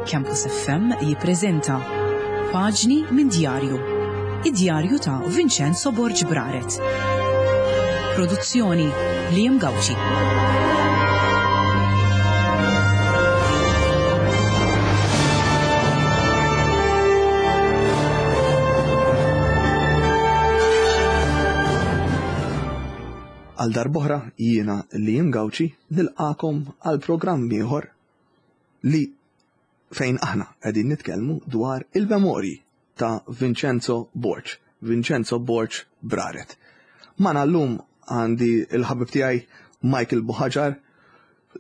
Campus FM jippreżenta Paġni minn Djarju. Id-djarju ta' Vincenzo Borg Braret. Produzzjoni Liam Gauci. Għal darb'oħra jiena Liam Gauci nilqakom għal programm ieħor li fejn aħna qegħdin nitkellmu dwar il-memorji ta' Vincenzo Borg, Vincenzo Borg Braret. Magħna llum għandi l-ħabib tiegħi Michael Buhaġar,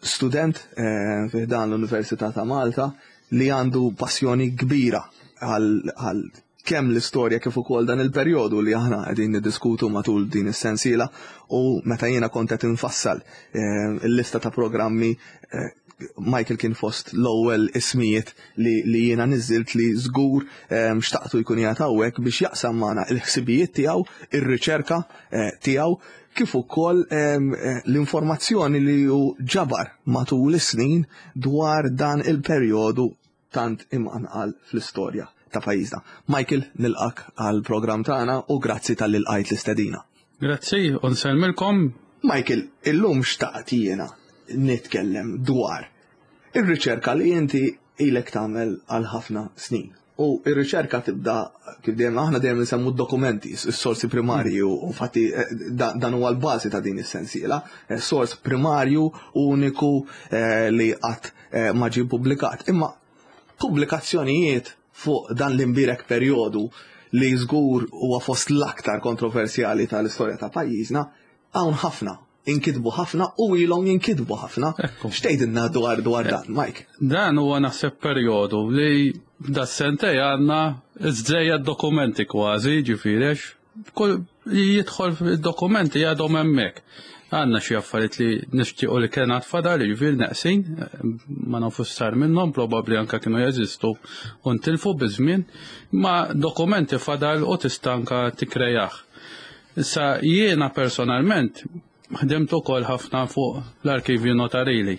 student eh, fi dan l-Università ta' Malta li għandu passjoni kbira għal kemm l-istorja kif ukoll dan il-perjodu li aħna qegħdin niddiskutu matul din is-sensiela u meta jiena kont qed infassal eh, il-lista ta' programmi eh, Michael kien fost l-ewwel ismijiet li, li jiena niżilt li żgur eh, xtaqtu jkun qiegħed hawnhekk biex jaqsam magħna il-ħsibijiet tiegħu, ir-riċerka tiegħu kif ukoll l-informazzjoni li hu ġabar matul is-snin dwar dan il-perjodu tant imqanqal fl-istorja ta' pajjiżna. Michael, nilqak għal programm tagħna u grazzi talli lqajt l-istedina. Grazzi, u nsellmilkom. Michael, illum xtaqt jiena nitkellem dwar ir-riċerka li inti ilek tagħmel għal ħafna snin. U ir-riċerka tibda kif dejjem aħna dejjem nsemmu d-dokumenti, s-sorsi primarji u fatti eh, dan huwa l-bażi ta' din is-sensiela, eh, sors primarju uniku eh, li qatt eh, ma ġie ppubblikat. Imma pubblikazzjonijiet fuq dan l-imbierek perjodu li żgur huwa fost l-aktar kontroversjali tal-istorja ta' pajjiżna, hawn ħafna, inkitbu ħafna u ilhom jinkitbu ħafna. X'tgħidilna dwar dwar dan, Mike? Dan huwa naħseb perjodu li da sentej għandna żejjed dokumenti kważi, ġifieri Kull jidħol fid-dokumenti għadhom hemmhekk. Għandna xi affarijiet li nixtiequ li kien għad fadal, jiġifieri neqsin, ma nafux sar minnhom, probabbli anke kienu jeżistu u ntilfu biż-żmien, ma dokumenti fadal u tista' anke tikkrejah. Issa jiena personalment Ħdimt ukoll ħafna fuq l-arkivju notarili.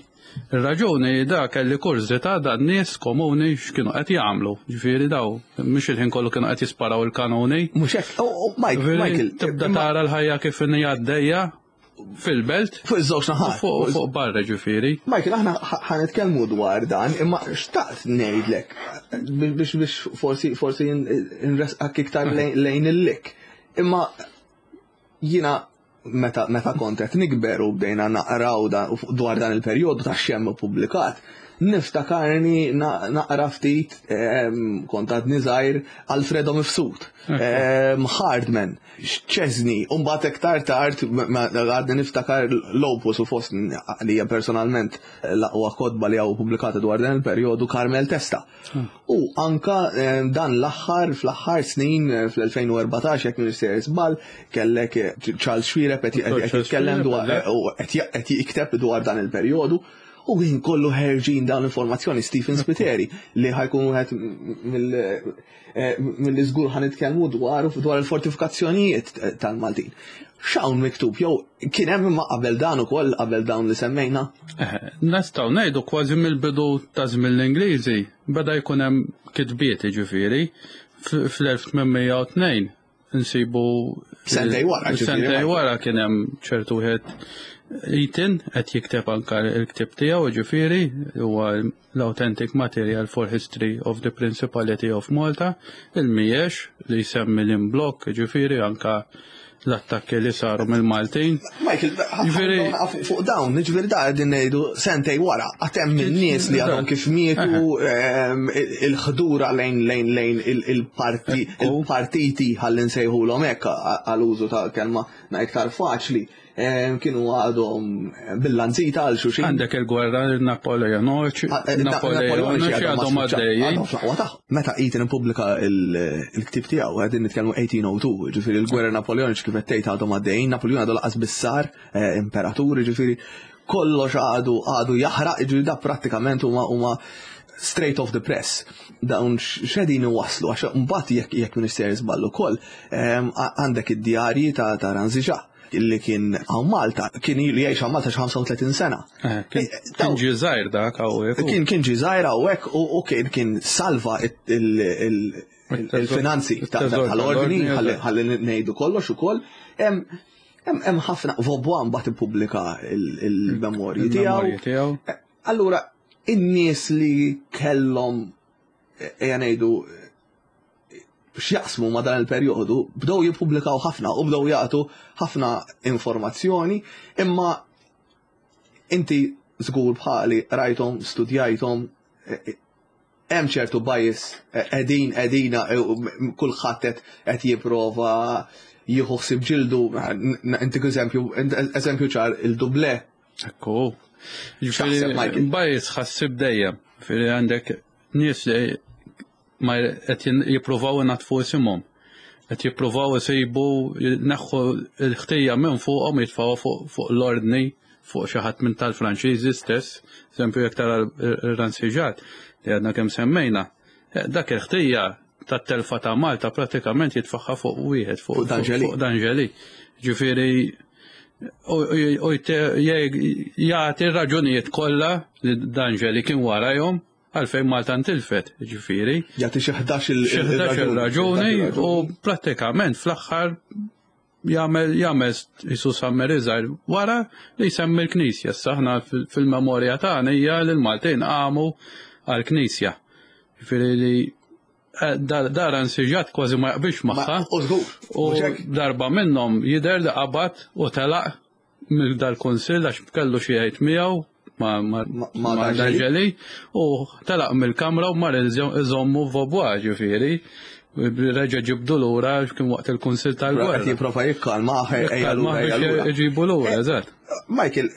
Ir-raġuni da kelli kurżità dan nies komuni x'kienu qed jagħmlu. Ġifieri daw mhux il-ħin kollu kienu qed jisparaw il-kanuni. Mhux hekk, oh, oh, Mike, Michael, tibda tara l-ħajja kif inhi għaddejja fil-belt. Fuq iż-żewġ naħat. Fuq barra ġifieri. Michael, aħna ħanitkellmu dwar dan, imma xtaqt ngħidlek biex biex forsi forsi nresqak iktar lejn il-lik. Imma jiena meta, meta kont qed nikber u bdejna naqraw dwar dan il-perjodu ta' xem ippubblikat, niftakarni naqra ftit ehm, kont għadni żgħir Alfredo Mifsud, ehm, Hardman, Chesney, u mbagħad iktar tard għadni niftakar l-opus u fost li hija personalment l-aqwa kotba li hawn pubblikata dwar dan il-perjodu Carmel Testa. U anka eh, dan l-aħħar, fl-aħħar snin, eh, fl-2014, jekk minn sejjer żball, kellek eh, Charles Xuereb qed jitkellem dwar u qed jikteb dwar dan il-perjodu. U kien kollu ħerġin dawn l-informazzjoni Stephen Spiteri li ħajkun wieħed mill-li żgur ħan nitkellmu dwar dwar il-fortifikazzjonijiet tal-Maltin. X'hawn miktub jew kien hemm imma qabel dan ukoll qabel dawn li semmejna? Nistgħu ngħidu kważi mill-bidu ta' żmien l-Ingliżi beda jkun hemm kitbiet jiġifieri fl-1802 nsibu sentej wara sentej wara kien hemm ċertu wieħed Eaton qed jikteb anke l-ktieb tiegħu jiġifieri huwa l-Authentic Material for History of the Principality of Malta, il-Miex li jsemmi l-imblokk, ġifieri anka l-attakki li saru mill-Maltin. Michael, ġifieri fuq dawn, ġifieri da qegħdin ngħidu sentej wara, għad hemm in-nies li għadhom kif mietu ehm, il-ħdura lejn lejn lejn il-parti il-partiti ħalli nsejħulhom hekk għal użu ta' kelma iktar faċli. Kienu għadhom bil-lanzita għal xulxin. Għandek il-gwerra Napoleoniċi, ah, eh, Napoleoniċi għadhom għaddejjin. Meta Eaton ippubblika il-ktib tiegħu qegħdin nitkellmu 1802, ġifieri il-gwerra Napoleoniċi kif qed tgħid għadhom għaddejjin, Napoleon għadu laqas bissar eh, imperatur, ġifieri kollox għadu għadu jaħraq, ġifieri da prattikament huma huma straight off the press. Dawn x'qegħdin iwasslu għax mbagħad jekk jekk minister żball ukoll għandek id-djarji ta' Ranziġa. li kien hawn Malta, kien ilu jgħix hawn Malta xi 35 sena. Eh, kien eh, ġie żgħir dak hawnhekk. Kien kien ġie żgħir hawnhekk u kien kien salva il-finanzi tal-ordni ħalli ngħidu kollox ukoll. Hemm ħafna Vaubois mbagħad ippubblika il-memorji tiegħu. Eh, allura in-nies li kellhom ejja ngħidu x'jaqsmu ma' dan il-perjodu, bdew jippubblikaw ħafna u bdew jagħtu ħafna informazzjoni, imma inti żgur bħali rajthom, studjajthom, e, e, hemm ċertu bias e, qegħdin qegħdina kulħadd qed jipprova jieħu ħsieb ġildu, intik eżempju, eżempju ċar il-duble. Ekku. Bias ħassib dejjem, fili għandek nies li ma qed jippruvaw inaddfu isimhom. Qed jippruvaw isibu jneħħu l-ħtija minn fuqhom jitfgħuha fuq l-ordni fuq xi ħadd minn tal-Franċiżi stess, eżempju jekk tara r-Ransiġat li għadna kemm semmejna, eh, dak il-ħtija tat-telfa ta' Malta pratikament jitfaħħa fuq wieħed fuq D'Angeli. Ġifieri u jagħti raġunijiet kollha li D'Angeli kien warajhom Għalfejn Malta ntilfet, ġifieri. Jagħti xi 11 raġuni u prattikament fl-aħħar jagħmel jagħmel jisu summary żgħir wara li jsemmi l-Knisja. Issa aħna fil-memorja tagħna hija li l-Maltin qamu għall-Knisja. Ġifieri li eh, dar ansiġat kważi ma jaqbilx magħha. U darba minnhom jidher li qabad u telaq minn dal-kunsill għax kellu xi jgħid miegħu ma' D'Angeli u telaq mill-kamra u mar iżommu f'Vaubois ġifieri. Reġa' ġibdu lura kien waqt il-kunsill tal-gwerra. Qed jipprova jikkalma biex iġibu lura, eh, eżatt. Michael,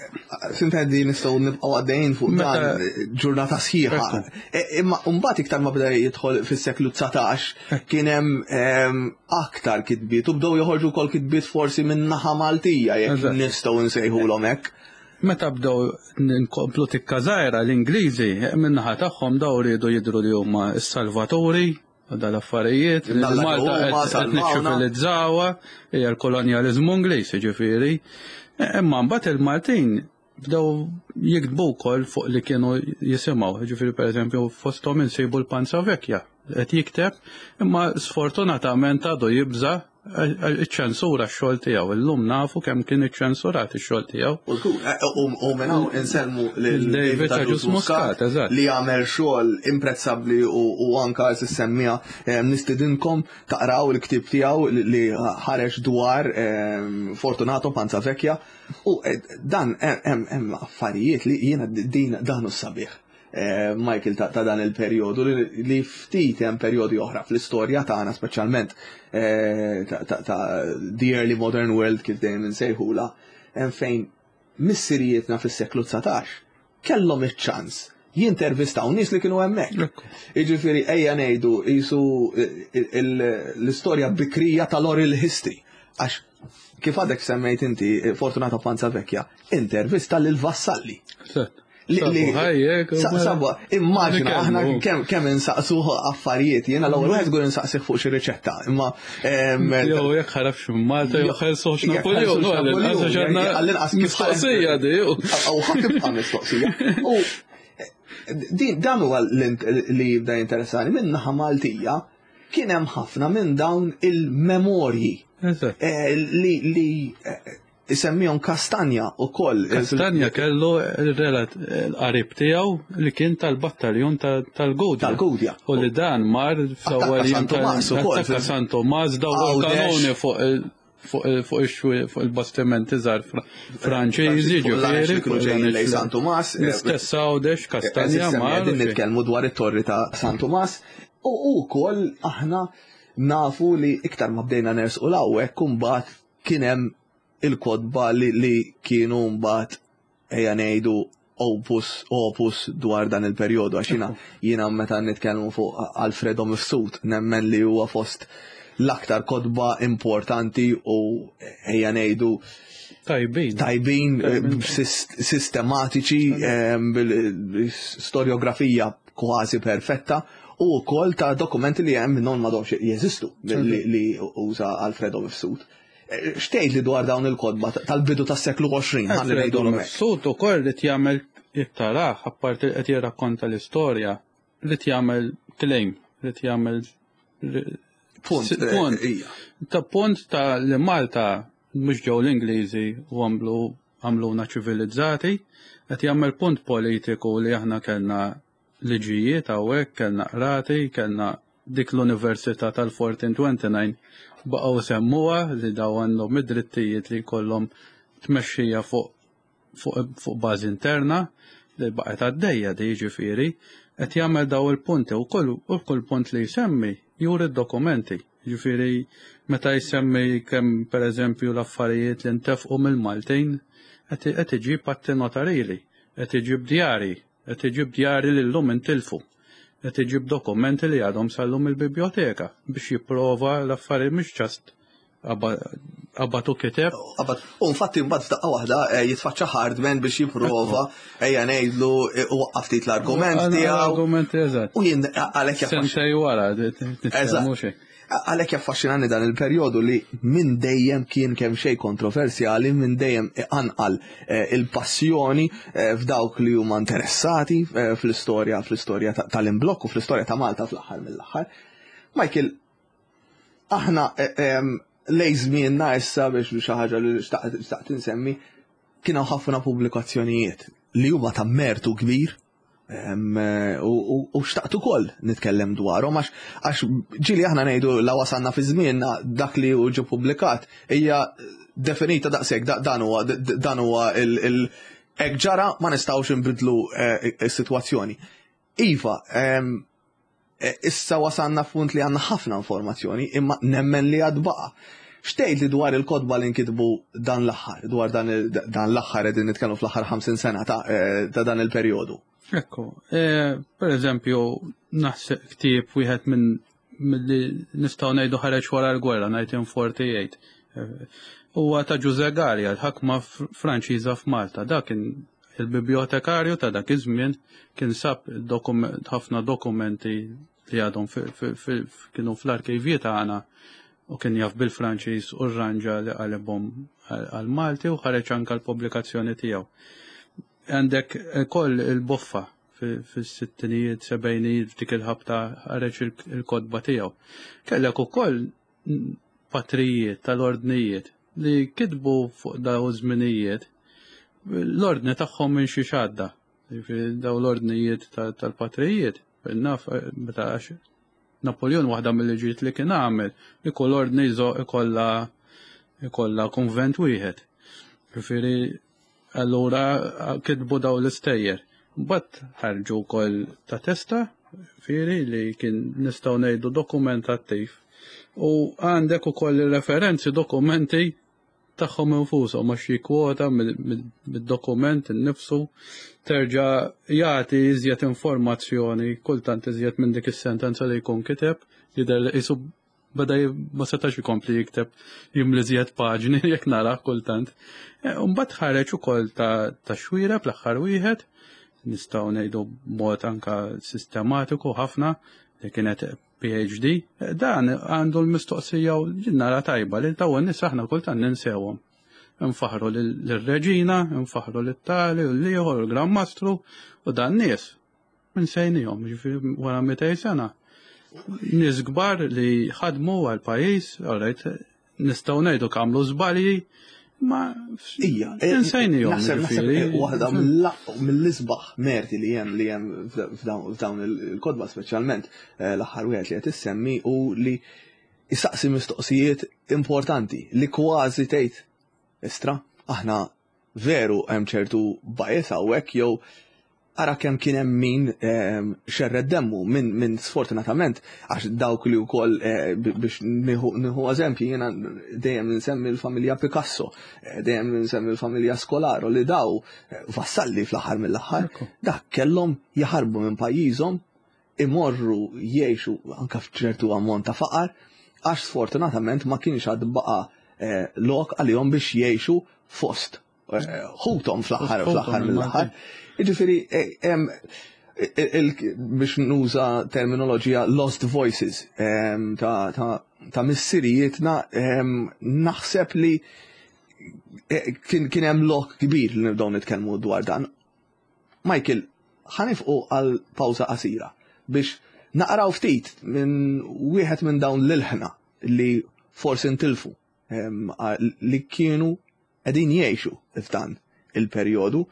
sintendi nistgħu nibqgħu għaddejjin fuq dan ġurnata sħiħa. Eh, imma mbagħad iktar ma beda jidħol fis-seklu 19 kien hemm ehm, aktar kitbiet u bdew joħorġu wkoll kitbiet forsi minn naħa Maltija jekk nistgħu nsejħulhom hekk. Meta bdew nkomplu tikka żgħira l-Ingliżi min-naħa tagħhom daw riedu jidhru li huma s-salvaturi u dal-affarijiet. Malta qed niċċivilizzawha hija l-kolonjaliżmu Ingliż jiġifieri. Imma mbagħad il-Maltin bdew jiktbu wkoll fuq li kienu jisimgħu, ġifieri pereżempju fosthom insibu l-Panza Vecchia qed jikteb, imma sfortunatament għadu jibża' iċ-ċensura x-xogħol tiegħu. Illum nafu kemm kien iċċensurat ix-xogħol tiegħu. U minn hawn insellmu lil David Agius Muscat li għamel xogħol imprezzabbli u anka semmija eh, nistidinkom taqraw il-ktieb tiegħu li ħareġ dwar eh, Fortunato Panza Vecchia U eh, dan hemm affarijiet li jiena din dan hu sabiħ. Eh, Michael ta' dan il-perjodu li ftit hemm perjodi oħra fl-istorja tagħna speċjalment eh, ta' the early modern world kif dejjem insejħula hemm fejn missirijietna fis-seklu 19 kellhom iċ-ċans jintervistaw nies li kienu hemmhekk. Jiġifieri ejja ngħidu qisu l-istorja bikrija tal-oral history. Għax kif għadek semmejt inti Fortunata Panza Vecchia, intervista lil Vassalli. Sabwa, immaġina aħna kemm insaqsu affarijiet, jiena l-ewwel wieħed żgur insaqsih fuq xi riċetta, imma Jew jekk ħarabx minn Malta jew ħelsuħx Napoleon, għall-inqas mistoqsija di. U ħadd tibqa' mistoqsija. U din dan huwa li jibda jinteressani minn naħa Maltija kien hemm ħafna minn dawn il-memorji eh, li eh, Isemmihom Kastanja ukoll. Kastanja kellu relat l-qarib tiegħu li kien tal-battaljun tal-Gudja. Tal-Gudja. U li dan mar fl-ewwel San Tumas ukoll. Attakka San Tumas dawru kanuni fuq fuq il-bastimenti żgħar Franċiżi ġifieri. Kienu ġejjin lejn San Tumas. L-istess Għawdex Kastanja mar. Qegħdin nitkellmu dwar it-torri ta' San Tumas u wkoll aħna nafu li iktar ma bdejna nersqu l-hawnhekk imbagħad kien hemm il-kotba li, li kienu mbagħad ejja ngħidu opus opus dwar dan il-perjodu għax jiena jiena meta nitkellmu fuq Alfredo Mifsud nemmen li huwa fost l-aktar kotba importanti u ejja ngħidu tajbin tajbin eh, sistematiċi eh, storiografija kważi perfetta u wkoll ta' dokumenti li hemm minnhom m'għadhomx jeżistu li uża Alfredo Mifsud. X'tgħid li dwar dawn il-kotba tal-bidu tas-seklu 20 ħalli ngħidulhom hekk? Mifsud ukoll li jagħmel iktarah apparti li qed jirrakkonta l-istorja, li jagħmel claim, li jagħmel punt. Punt. Ta' punt ta' li Malta mhux ġew l-Ingliżi u għamlu għamluna ċivilizzati, qed jagħmel punt politiku li aħna kellna liġijiet hawnhekk, kellna qrati, kellna dik l-Università tal-1429 baqgħu semmuha li daw għandhom id-drittijiet li jkollhom tmexxija fuq fuq, fuq bażi interna li baqgħet għaddejja di jiġifieri qed jagħmel daw il-punti u kull u kull punt li jsemmi juri d-dokumenti. Jiġifieri meta jsemmi kemm pereżempju l-affarijiet li ntefqu mill-Maltin qed iġib atti notarili, qed iġib djari, qed iġib djari li llum intilfu, qed iġib dokumenti li għadhom sal-lum il-biblioteka biex jipprova l-affarijiet mhux ġast qabad u kiteb. Qabad, u infatti mbagħad f'daqqa waħda eh, jitfaċċa Hardman biex jipprova ejja ngħidlu eh, waqqaf ftit l-argument tiegħu. L-argument eżatt. U jien għalhekk jaffaxxinani. wara, Eżatt. Għalhekk jaffaxxinani dan il-perjodu li minn dejjem kien kemm xejn kontroversjali, minn dejjem iqanqal eh, il-passjoni f'dawk li huma interessati fl-istorja fl-istorja tal-imblokk u fl-istorja ta' Malta fl-aħħar mill-aħħar. Michael, Aħna lej żmienna issa biex xi ħaġa li xtaqt insemmi kien hawn ħafna pubblikazzjonijiet li huma ta' mertu kbir u xtaqt ukoll nitkellem dwarhom għax ġieli aħna ngħidu la wasalna fi żmienna dak li hu ġie pubblikat hija definita daqshekk dan huwa dan huwa il hekk ġara ma nistgħux inbidlu eh, is-sitwazzjoni. Iva, E, issa wasalna f'punt li għandna ħafna informazzjoni, imma nemmen li għad baqa'. X'tgħid li dwar il-kotba li nkitbu dan l-aħħar, dwar dan l-aħħar qegħdin nitkellmu fl-aħħar 50 sena ta', e, ta dan il-perjodu? Ekku, e, per eżempju, naħseb ktieb wieħed minn milli nistgħu ngħidu ħareġ wara l-gwerra 1948. Huwa ta' Ġuże Gallia, l-ħakma Franċiża f'Malta. Dak kien Il-bibliotekarju ta' dak iż-żmien kien sab ħafna dokumenti li għadhom kienu fl-arkivji tagħna u kien jaf bil-Franċiż u rranġa li qalibhom għal-Malti u ħareġ anka l-pubblikazzjoni tiegħu. Għandek ukoll il-boffa fis-sittinijiet, sebgħinijiet f'dik il-ħabta ħareġ il-kotba tiegħu. Kellek ukoll patrijiet tal-ordnijiet li kitbu fuq daw żminijiet l-ordni tagħhom minn xi xadda. Daw l-ordnijiet tal-patrijiet, naf meta għax Napoleon waħda mill-liġijiet li kien għamel li kull ordni ikollha ikollha konvent wieħed. Ġifieri Allura kitbu daw l-istejjer. Mbagħad ħarġu wkoll ta' testa, fieri li kien nistgħu ngħidu dokument attiv. U għandek ukoll referenzi dokumenti tagħhom infushom għax jikkwota mid-dokument innifsu terġa' jagħti iżjed informazzjoni kultant iżjed minn dik is-sentenza li jkun kiteb jidher li qisu beda ma setax ikompli jikteb jimli żjed paġni jekk nara kultant. E, mbagħad ħareġ ukoll ta' ta' xwira bl-aħħar wieħed nistgħu ngħidu b'mod anka sistematiku ħafna li kienet PhD. E, dan għandu l-mistoqsija u nara tajba li dawn nies aħna kultant ninsewhom. Nfaħru lir-reġina, nfaħru lit-tali u l-ieħor, il-Gran Mastru u dan nies Insejnihom, ġifieri wara 200 sena. Nies kbar li ħadmu għal pajjiż, alright, nistgħu ngħidu kamlu żbalji, ma Ija, eh, insejnihom. Naħseb eh, waħda mill-isbaħ merti li hemm li hemm f'dawn il-kodba speċjalment eh, l-aħħar wieħed li qed issemmi u li jistaqsi mistoqsijiet importanti li kważi tgħid istra aħna veru hemm ċertu bias hawnhekk jew ara kemm kien hemm min ehm, xerred demmu minn min sfortunatament għax dawk li wkoll eh, biex nieħu eżempji jiena dejjem nsemmi l-familja Picasso, eh, dejjem nsemmi l-familja Scolaro li daw eh, vassalli fl-aħħar mill-aħħar, dak kellhom jaħarbu minn pajjiżhom imorru jgħixu anka f'ċertu ammont ta' faqar għax sfortunatament ma kienx għad baqa' eh, lok għalihom biex jgħixu fost eh, ħuthom fl-aħħar fl-aħħar mill-aħħar. Jiġifieri eh, biex nuża terminoloġija lost voices ta', ta, ta missirijietna naħseb li eh, kien hemm lok kbir li nibdew nitkellmu dwar dan. Michael, ħanifqu għal pawża qasira biex naqraw ftit minn wieħed minn dawn l-ilħna li forsi ntilfu li kienu qegħdin jgħixu f'dan il-perjodu.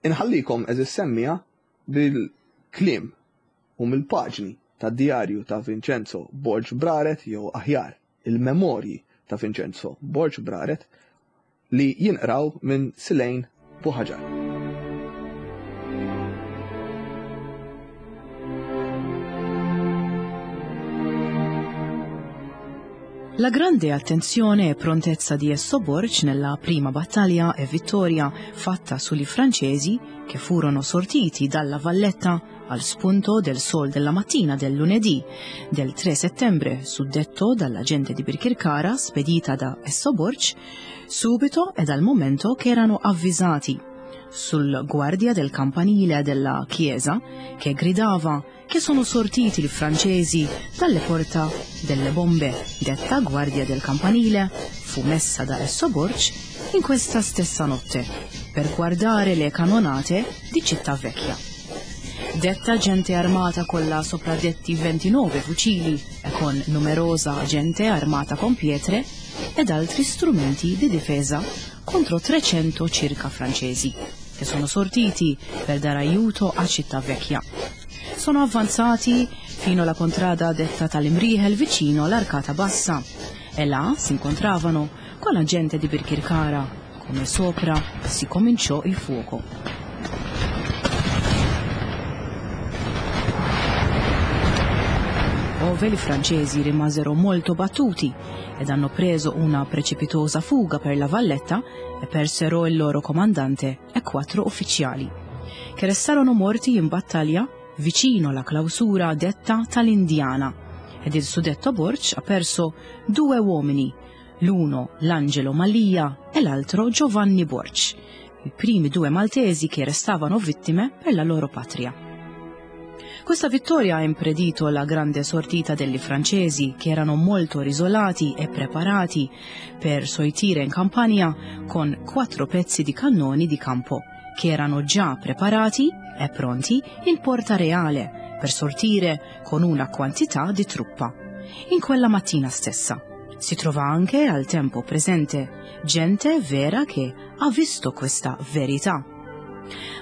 Inħallikom eżis semmija bil-kliem u mill-paġni tad-djarju ta' Vincenzo Borg Braret jew aħjar il-memorji ta' Vincenzo Borg Braret li jinqraw minn Silejn Buħaġar. La grande attenzione e prontezza di Esso Borg nella prima battaglia e vittoria fatta sugli francesi che furono sortiti dalla Valletta al spunto del sol della mattina del lunedì del 3 settembre, suddetto dalla gente di Birkirkara spedita da Esso Borg, subito e dal momento che erano avvisati sul guardia del campanile della chiesa che gridava che sono sortiti i francesi dalle porta delle bombe, detta guardia del campanile, fu messa da Esso Borg in questa stessa notte per guardare le canonate di Città Vecchia. Detta gente armata con la sopradetti 29 fucili e con numerosa gente armata con pietre ed altri strumenti di difesa contro 300 circa francesi, che sono sortiti per dare aiuto a Città Vecchia. Sono avanzati fino alla contrada detta Talimrihel vicino all'Arcata Bassa e là si incontravano con la gente di Birkirkara, come sopra si cominciò il fuoco. Ove i francesi rimasero molto battuti ed hanno preso una precipitosa fuga per la valletta e persero il loro comandante e quattro ufficiali, che restarono morti in battaglia vicino alla clausura detta tal-Indiana ed il suddetto Borg ha perso due uomini, l'uno l'Angelo Malia e l'altro Giovanni Borg, i primi due maltesi che restavano vittime per la loro patria. Questa vittoria ha impedito la grande sortita degli francesi, che erano molto risolati e preparati per sortire in Campania con quattro pezzi di cannoni di campo, che erano già preparati e pronti in Porta Reale per sortire con una quantità di truppa. In quella mattina stessa. Si trova anche al tempo presente gente vera che ha visto questa verità.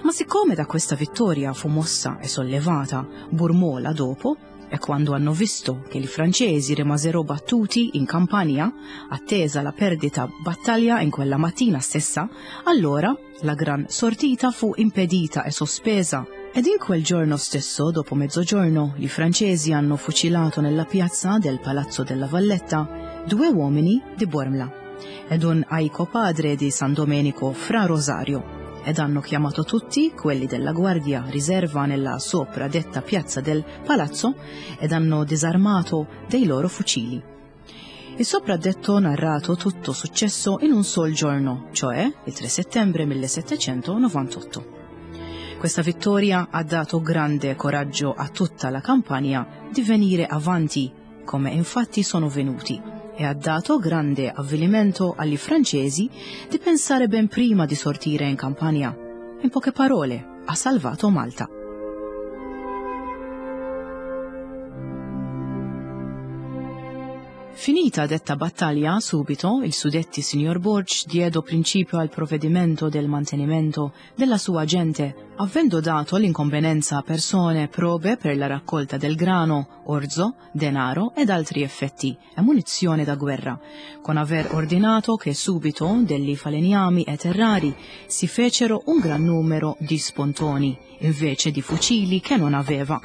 Ma siccome da questa vittoria fu mossa e sollevata Burmola dopo, e quando hanno visto che i francesi rimasero battuti in Campania, attesa la perdita battaglia in quella mattina stessa, allora la gran sortita fu impedita e sospesa. Ed in quel giorno stesso, dopo mezzogiorno, i francesi hanno fucilato nella piazza del Palazzo della Valletta due uomini di Bormla ed un aico padre di San Domenico Fra Rosario ed hanno chiamato tutti quelli della guardia riserva nella sopradetta piazza del palazzo ed hanno disarmato dei loro fucili. Il sopraddetto narrato tutto successo in un sol giorno, cioè il 3 settembre 1798. Questa vittoria ha dato grande coraggio a tutta la Campania di venire avanti, come infatti sono venuti, e ha dato grande avvilimento agli francesi di pensare ben prima di sortire in Campania. In poche parole, ha salvato Malta. Finita detta battaglia, subito il suddetti signor Borg diedo principio al provvedimento del mantenimento della sua gente, avendo dato l'inconvenienza a persone probe per la raccolta del grano, orzo, denaro ed altri effetti e munizione da guerra, con aver ordinato che subito degli falegnami e terrari si fecero un gran numero di spontoni, invece di fucili che non aveva,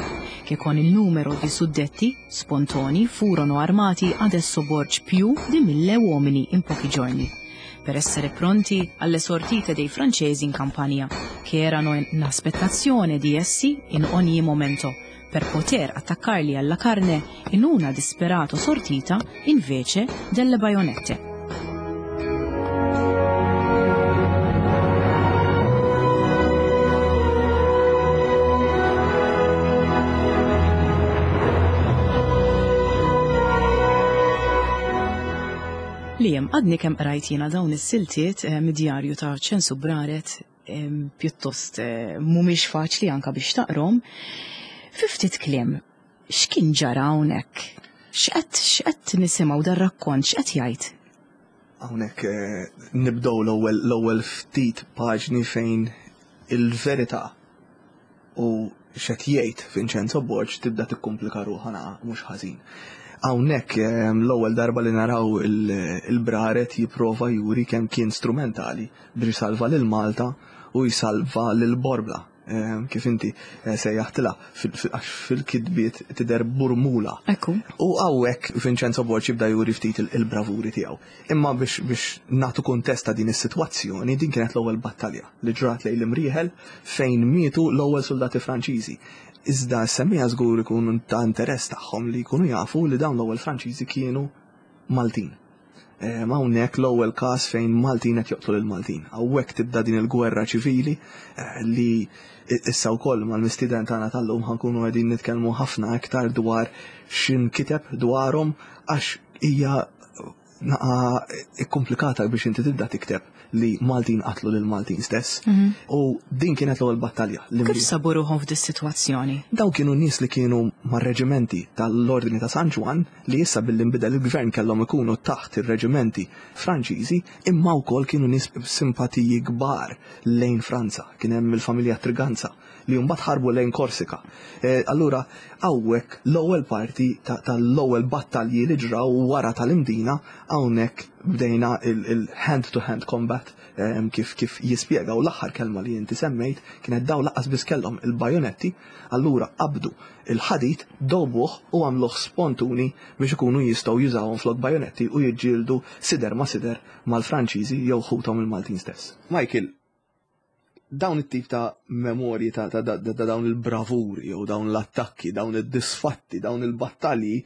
che con il numero di suddetti spontoni furono armati adesso Borg più di mille uomini in pochi giorni, per essere pronti alle sortite dei francesi in Campania, che erano in aspettazione di essi in ogni momento, per poter attaccarli alla carne in una disperata sortita invece delle baionette. Liam, għadni kemm qrajt jiena dawn is-siltiet eh, mid-djarju ta' Ċensu Braret eh, pjuttost eh, mhumiex faċli anka biex taqrom. Fi ftit kliem, x'kien ġara hawnhekk? X'qed x'qed nisimgħu dar-rakkont x'qed jgħid? Hawnhekk nibdew l-ewwel l-ewwel ftit paġni fejn il-verità u x'qed jgħid Vincenzo Borg tibda tikkumplika ruħha naqa' mhux ħażin. Hawnhekk l-ewwel darba li naraw il-Braret jipprova juri kemm kien strumentali biex isalva lil Malta u jsalva lil Borbla kif inti sejjaħtilha għax fil-kitbiet tidher Burmula. Ekku. U hawnhekk Vincenzo Borg jibda juri ftit il-bravuri tiegħu. Imma biex biex nagħtu kuntest ta' din is-sitwazzjoni, din kienet l-ewwel battalja li ġrat lejn l-Imrieħel fejn mietu l-ewwel suldati Franċiżi. Iżda s-semmiegħa żgur ikun ta' interess tagħhom li jkunu jafu li dawn l-ewwel Franċiżi kienu Maltin. Ehm, hawnhekk l-ewwel każ fejn Maltin qed joqtlu lil Maltin. Hawnhekk tibda din il-gwerra ċivili eh, li issa wkoll mal-mistieden tagħna tal-lum ħankunu qegħdin nitkellmu ħafna iktar dwar x'inkiteb dwarhom għax hija naqa ikkomplikata biex inti tibda tikteb li Maltin qatlu lil Maltin stess. Mhm. U din kienet l-ewwel battalja. Kif sabu ruħhom f'dis sitwazzjoni? Dawn kienu nies li kienu mar-reġimenti tal-Ordni ta' San Ġwann li issa billi nbidel il-gvern kellhom ikunu taħt ir-reġimenti Franċiżi, imma wkoll kienu nies b'simpatiji kbar lejn Franza. Kien hemm il-familja Triganza li mbagħad ħarbu lejn Korsika. Eh, allura hawnhekk l-ewwel parti tal-ewwel battalji li ġraw wara tal-Imdina hawnhekk bdejna il-hand-to-hand combat ehm, kif kif jispjega u l-aħħar kelma li inti semmejt kienet daw laqas biss kellhom il-bajonetti, allura qabdu il-ħadid, dowbuh u għamluh spontuni biex ikunu jistgħu jużawhom flok bajonetti u jiġġieldu sider ma' sider mal-Franċiżi jew ħuthom il-Maltin stess. Michael, dawn it-tip ta' memorji ta', ta, ta, ta dawn il-bravuri jew dawn l-attakki, dawn id-disfatti, dawn il-battalji,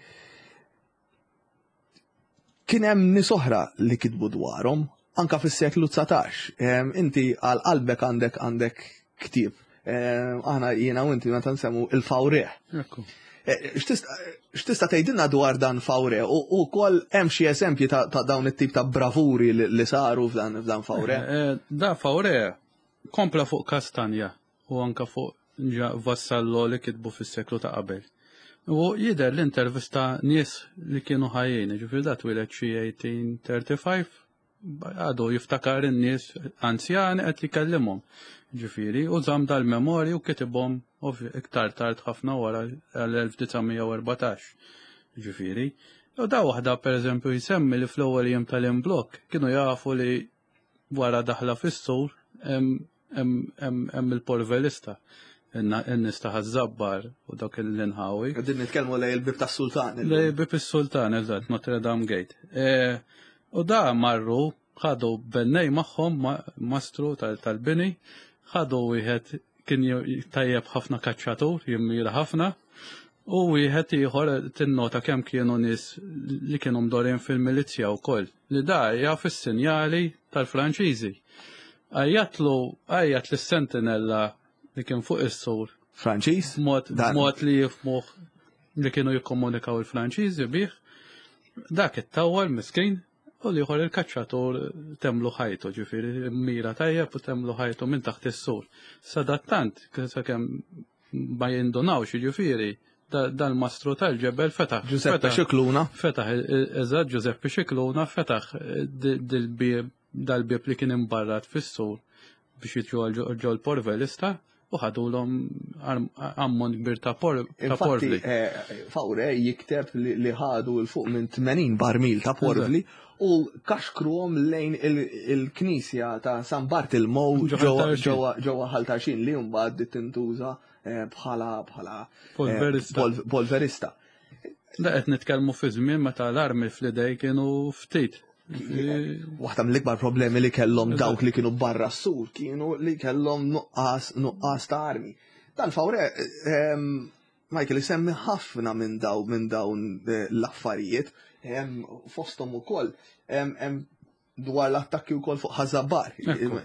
kien hemm nies oħra li kitbu dwarhom anka fis-seklu 19. Inti għal qalbek għandek għandek ktieb. Aħna jiena u inti meta nsemmu il-fawrieħ. Eh, x'tista' tgħidilna dwar dan Fawre u wkoll hemm xi eżempji ta' dawn it-tip ta' bravuri li saru f'dan Fawre? Eh, eh, da Fawre kompla fuq Kastanja u anka fuq Vassallo li kitbu fis-seklu ta' qabel. U jidher l-intervista nies li kienu ħajjin, ġifieri da twieled xi 1835 għadu jiftakar in-nies anzjani qed jkellimhom. Ġifieri, u żamm dal-memorji u kitibhom iktar tard ħafna wara l-1914. Ġifieri, u da waħda pereżempju jsemmi li fl-ewwel jiem tal-imblokk kienu jafu li wara daħla fis-sur hemm il-polverista in-nies ta' Ħaż-Żabbar u dak l-inħawi. Qegħdin nitkellmu lej il-bib tas-Sultan. Lej il-bib is-Sultan, eżatt, Notre Dame Gate. E, u da marru ħadu bennej magħhom mastru tal-bini, ħadu wieħed kien tajjeb ħafna kaċċatur, jimmira ħafna, u wieħed ieħor tinnota kemm kienu nies li kienu mdorin fil-milizzja wkoll. Li da jaf is-sinjali tal-Franċiżi. Għajjatlu, għajjat lis-sentinella li kien fuq is-sur. Franċiż? Mod, mod li jifmuh li kienu jikkomunikaw il-Franċiżi bih. Dak it-tawwal miskin u l-ieħor il-kaċċatur temlu ħajtu, ġifieri mira tajjeb u temlu ħajtu minn taħt is-sur. Sadattant, sakemm ma jindunawx, jiġifieri dal-mastru tal-ġebel fetaħ. Giuseppe Xikluna. Fetaħ, eżatt, Giuseppe Xikluna fetaħ dil-bieb dal-bieb li kien imbarrat fis-sur biex jitlu ġol porvelista u ħadulhom ammont kbir ta' porvli. Eh, Fawre jikteb li ħadu l fuq minn 80 barmil ta' porvli u kaxkruhom lejn il-knisja ta' San Bartilmow ġewwa Ħal Tarxien li mbagħad tintuża eh, bħala bħala eh, polverista. Da qed nitkellmu fi żmien meta l-armi fl-idej kienu ftit. Waħda mill-ikbar problemi li kellhom dawk li kienu barra s-sur kienu li kellhom nuqqas nuqqas ta' armi. Dan fawre ehm, Michael isemmi ħafna minn daw minn dawn eh, l-affarijiet, fosthom ukoll hemm dwar l-attakki wkoll fuq Ħażabar,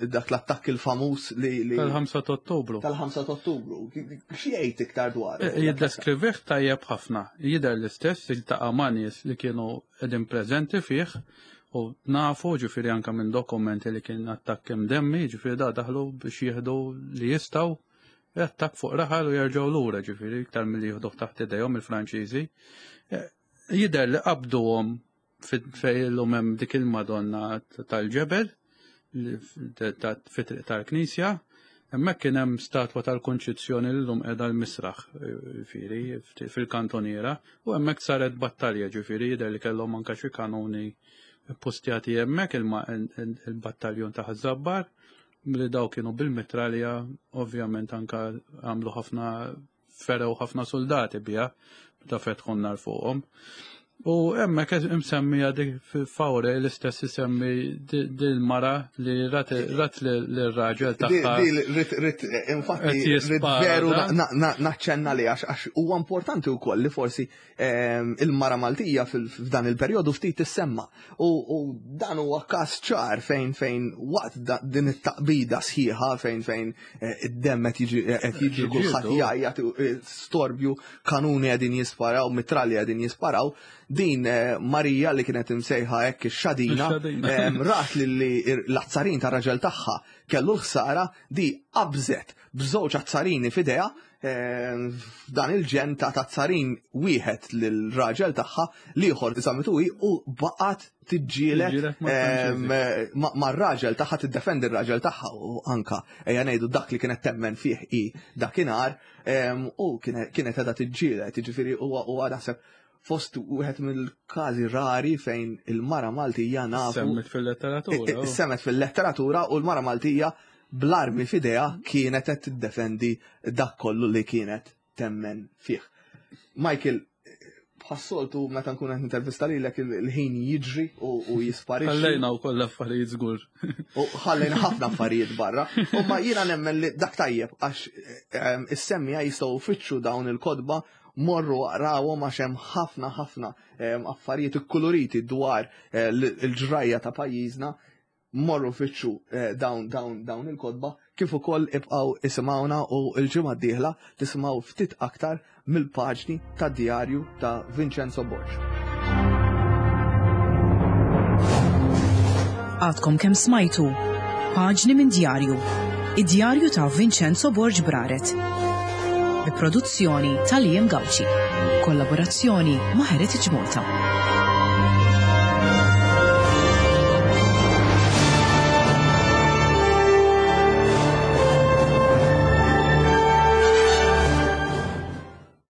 dak l-attakk il-famuż li. Tal-5 ta' Ottubru. Tal-5 ta' Ottubru. X'jgħid iktar dwar? Eh, jiddeskrivih tajjeb ħafna. Jidher l-istess iltaqa' ma' nies li kienu qegħdin preżenti fih. U nafu ġifieri anke minn dokumenti li kien attakk imdemmi, ġifieri da daħlu biex jieħdu li jistgħu attakk fuq raħal u jerġgħu lura ġifieri iktar milli jieħduh taħt idejhom il-Franċiżi. Eh, jidher li qabduhom fejn illum hemm dik il-Madonna tal-ġebel fit-triq tal-Knisja, hemmhekk kien hemm statwa tal-Kunċizzjoni li llum qiegħda l-misraħ ġifieri fil-kantoniera u hemmhekk saret battalja ġifieri jidher li kellhom anke xi kanuni postjati hemmhekk il-battaljun ta' Ħaż-Żabbar li daw kienu bil-mitralja ovvjament anke għamlu ħafna ferew ħafna soldati biha meta fetħu n-nar fuqhom. U hemmhekk imsemmija dik fawre l-istess isemmi dil-mara li rat lir-raġel tagħha. Rit infatti rit veru naċċenna li għax huwa importanti wkoll li forsi ehm, il-mara Maltija f'dan il-perjodu ftit tissemma. U dan huwa każ ċar fejn fejn waqt din it-taqbida sħiħa fejn fejn Eh, id-demm qed jiġi eh, qed jiġri kulħadd jgħajjat eh, storbju, kanuni qegħdin jisparaw, mitralji qegħdin jisparaw. Din Marija li kienet imsejħa hekk ix-xadina rat li l-azzarin tar-raġel tagħha kellu l-ħsara di qabżet b'żewġ azzarini f'idejha f'dan il-ġen ta' tazzarin wieħed lill-raġel tagħha l-ieħor żamitu hi u baqgħet tiġġieled mar-raġel tagħha tiddefendi r-raġel tagħha u anka ejja ngħidu dak li kienet temmen fih hi dakinhar u kienet qiegħda tiġġieled, jiġifieri huwa naħseb fost wieħed mill-każi rari fejn il-mara Maltija nafu. Semmet fil-letteratura. Semmet fil-letteratura u l-mara Maltija bl-armi f'idejha kienet qed tiddefendi dak kollu li kienet temmen fih. Michael, bħas-soltu meta nkun qed intervista lilek il-ħin jiġri u jisparixxi. Ħallejna wkoll affarijiet żgur. U ħallejna ħafna affarijiet barra. U ma jiena nemmen li dak tajjeb għax ehm, is-semmija jistgħu fitxu dawn il-kodba morru aqrawhom għax hemm ħafna ħafna ehm, affarijiet ikkuluriti dwar eh, l-ġrajja ta' pajjiżna morru fittxu eh, dawn dawn dawn il-kotba kif ukoll ibqgħu isimgħuna u l-ġimgħa d-dieħla tisimgħu ftit aktar mill-paġni tad-djarju ta' Vincenzo Borg. Għadkom kemm smajtu Paġni minn djarju, id-djarju ta' Vincenzo Borg Braret. Bi produzzjoni ta' Liam Gauci. Kollaborazzjoni ma' Heritage Malta.